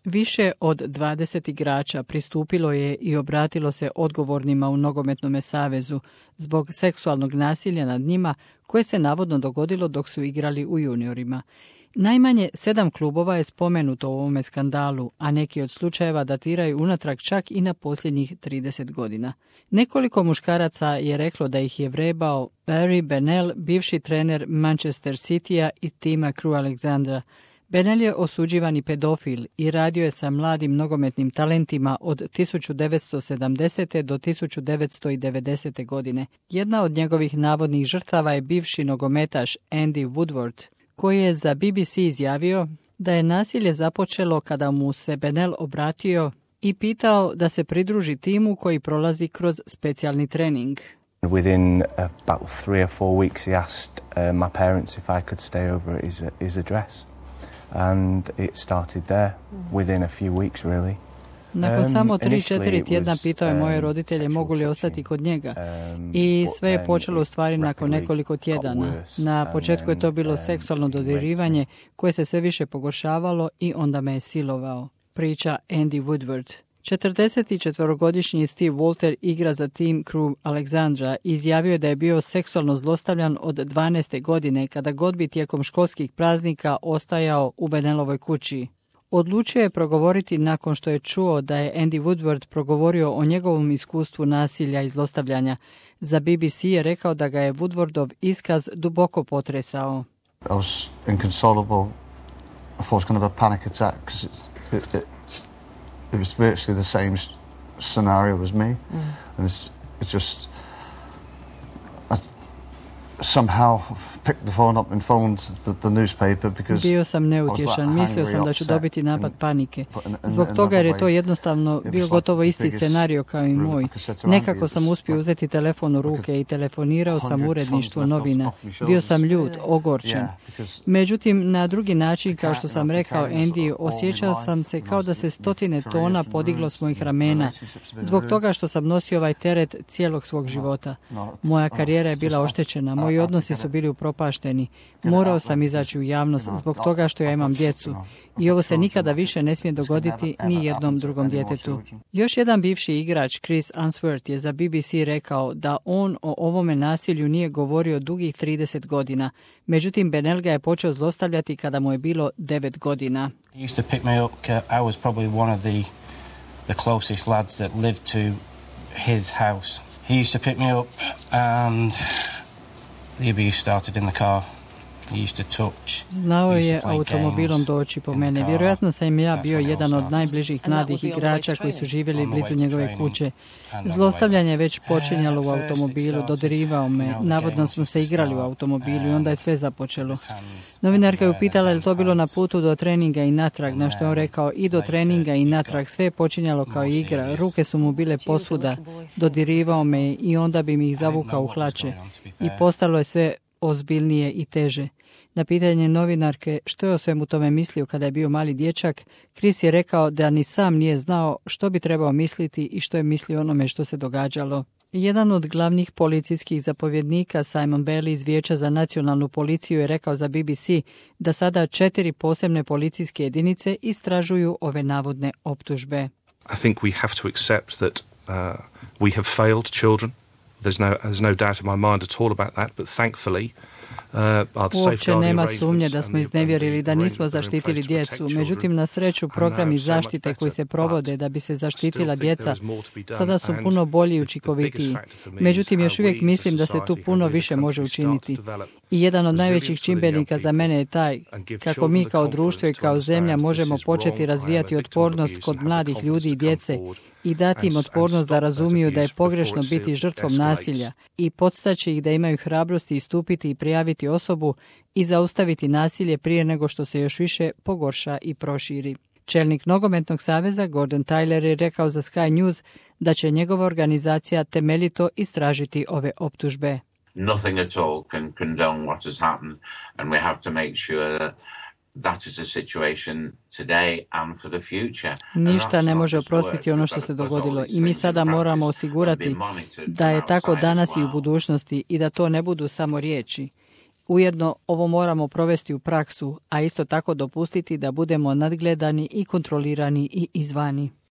Više od 20 igrača pristupilo je i obratilo se odgovornima u Nogometnom savezu zbog seksualnog nasilja nad njima koje se navodno dogodilo dok su igrali u juniorima. Najmanje 7 klubova je spomenuto u ovome skandalu, a neki od slučajeva datiraju unatrag čak i na posljednjih 30 godina. Nekoliko muškaraca je reklo da ih je vrebao Barry Bennell, bivši trener Manchester Citya i tima Crewe Alexandra. Bennell je osuđivani pedofil i radio je sa mladim nogometnim talentima od 1970. do 1990. godine. Jedna od njegovih navodnih žrtava je bivši nogometaš Andy Woodward, koji je za BBC izjavio da je nasilje započelo kada mu se Bennell obratio i pitao da se pridruži timu koji prolazi kroz specijalni trening. Within about 3 or 4 weeks he asked my parents if I could stay over at his address. And it started there within a few weeks really. Nakon samo 3-4 tjedna pitao je moje roditelje mogu li ostati kod njega i sve je počelo u stvari nakon nekoliko tjedana. Na početku je to bilo seksualno dodirivanje koje se sve više pogoršavalo i onda me je silovao, priča Andy Woodward. 44-godišnji Steve Walter igra za tim Crewe Alexandra i izjavio je da je bio seksualno zlostavljan od 12. godine kada god bi tijekom školskih praznika ostajao u Bennellovoj kući. Odlučio je progovoriti nakon što je čuo da je Andy Woodward progovorio o njegovom iskustvu nasilja i zlostavljanja. Za BBC je rekao da ga je Woodwardov iskaz duboko potresao. I was inconsolable. I thought it was kind of a panic attack because it was virtually the same scenario as me. And it just I somehow picked the phone up and phoned the newspaper because bio sam neutješan, mislio sam da ću dobiti napad panike. Zbog toga jer je to jednostavno bio gotovo isti scenario kao i moj. Nekako sam uspio uzeti telefon u ruke i telefonirao sam uredništvu novina. Bio sam ljut, ogorčen. Međutim, na drugi način, kao što sam rekao Andy, osjećao sam se kao da se 100 tona podiglo s mojih ramena. Zbog toga što sam nosio ovaj teret cijelog svog života. Moja karijera je bila oštećena, moji odnosi su bili upropašteni. Morao sam izaći u javnost zbog toga što ja imam djecu. I ovo se nikada više ne smije dogoditi ni jednom drugom djetetu. Još jedan bivši igrač, Chris Unsworth, je za BBC rekao da on o ovome nasilju nije govorio dugih 30 godina. Međutim, Bennell ga je počeo zlostavljati kada mu je bilo 9 godina. He used to pick me up. I was probably one of the closest lads that lived to his house. He used to pick me up and the abuse started in the car. He used to touch. Znao je automobilom doći po mene. Vjerojatno sam ja bio jedan od najbližih mladih igrača koji su živjeli blizu njegove kuće. Zlostavljanje je već počinjalo u automobilu, dodirivao me. Navodno smo se igrali u automobilu i onda je sve započelo. Novinarka je upitala je li to bilo na putu do treninga i natrag, na što je on rekao i do treninga i natrag. Sve je počinjalo kao igra. Ruke su mu bile posvuda. Dodirivao me i onda bi mi ih zavukao u hlače. I postalo je sve ozbiljnije i teže. Na pitanje novinarke što je o svemu tome mislio kada je bio mali dječak, Chris je rekao da ni sam nije znao što bi trebao misliti i što je mislio onome što se događalo. Jedan od glavnih policijskih zapovjednika, Simon Bailey iz Vijeća za nacionalnu policiju, je rekao za BBC da sada 4 posebne policijske jedinice istražuju ove navodne optužbe. I think we have to accept that we have failed children. There's no doubt in my mind at all about that, but thankfully uopće nema sumnje da smo iznevjerili, da nismo zaštitili djecu. Međutim, na sreću, programi zaštite koji se provode da bi se zaštitila djeca sada su puno bolji i učinkovitiji. Međutim, još uvijek mislim da se tu puno više može učiniti. I jedan od najvećih čimbenika za mene je taj kako mi kao društvo i kao zemlja možemo početi razvijati otpornost kod mladih ljudi i djece i dati im otpornost da razumiju da je pogrešno biti žrtvom nasilja i podstaći ih da imaju hrabrosti istupiti i prijaviti osobu i zaustaviti nasilje prije nego što se još više pogorša i proširi. Čelnik Nogometnog saveza Gordon Tyler je rekao za Sky News da će njegova organizacija temeljito istražiti ove optužbe. Nothing at all can condone what has happened and we have to make sure that is a situation today and for the future. Ništa ne može oprostiti ono što se dogodilo i mi sada moramo osigurati da je tako danas i u budućnosti i da to ne budu samo riječi. Ujedno ovo moramo provesti u praksu, a isto tako dopustiti da budemo nadgledani i kontrolirani i izvani.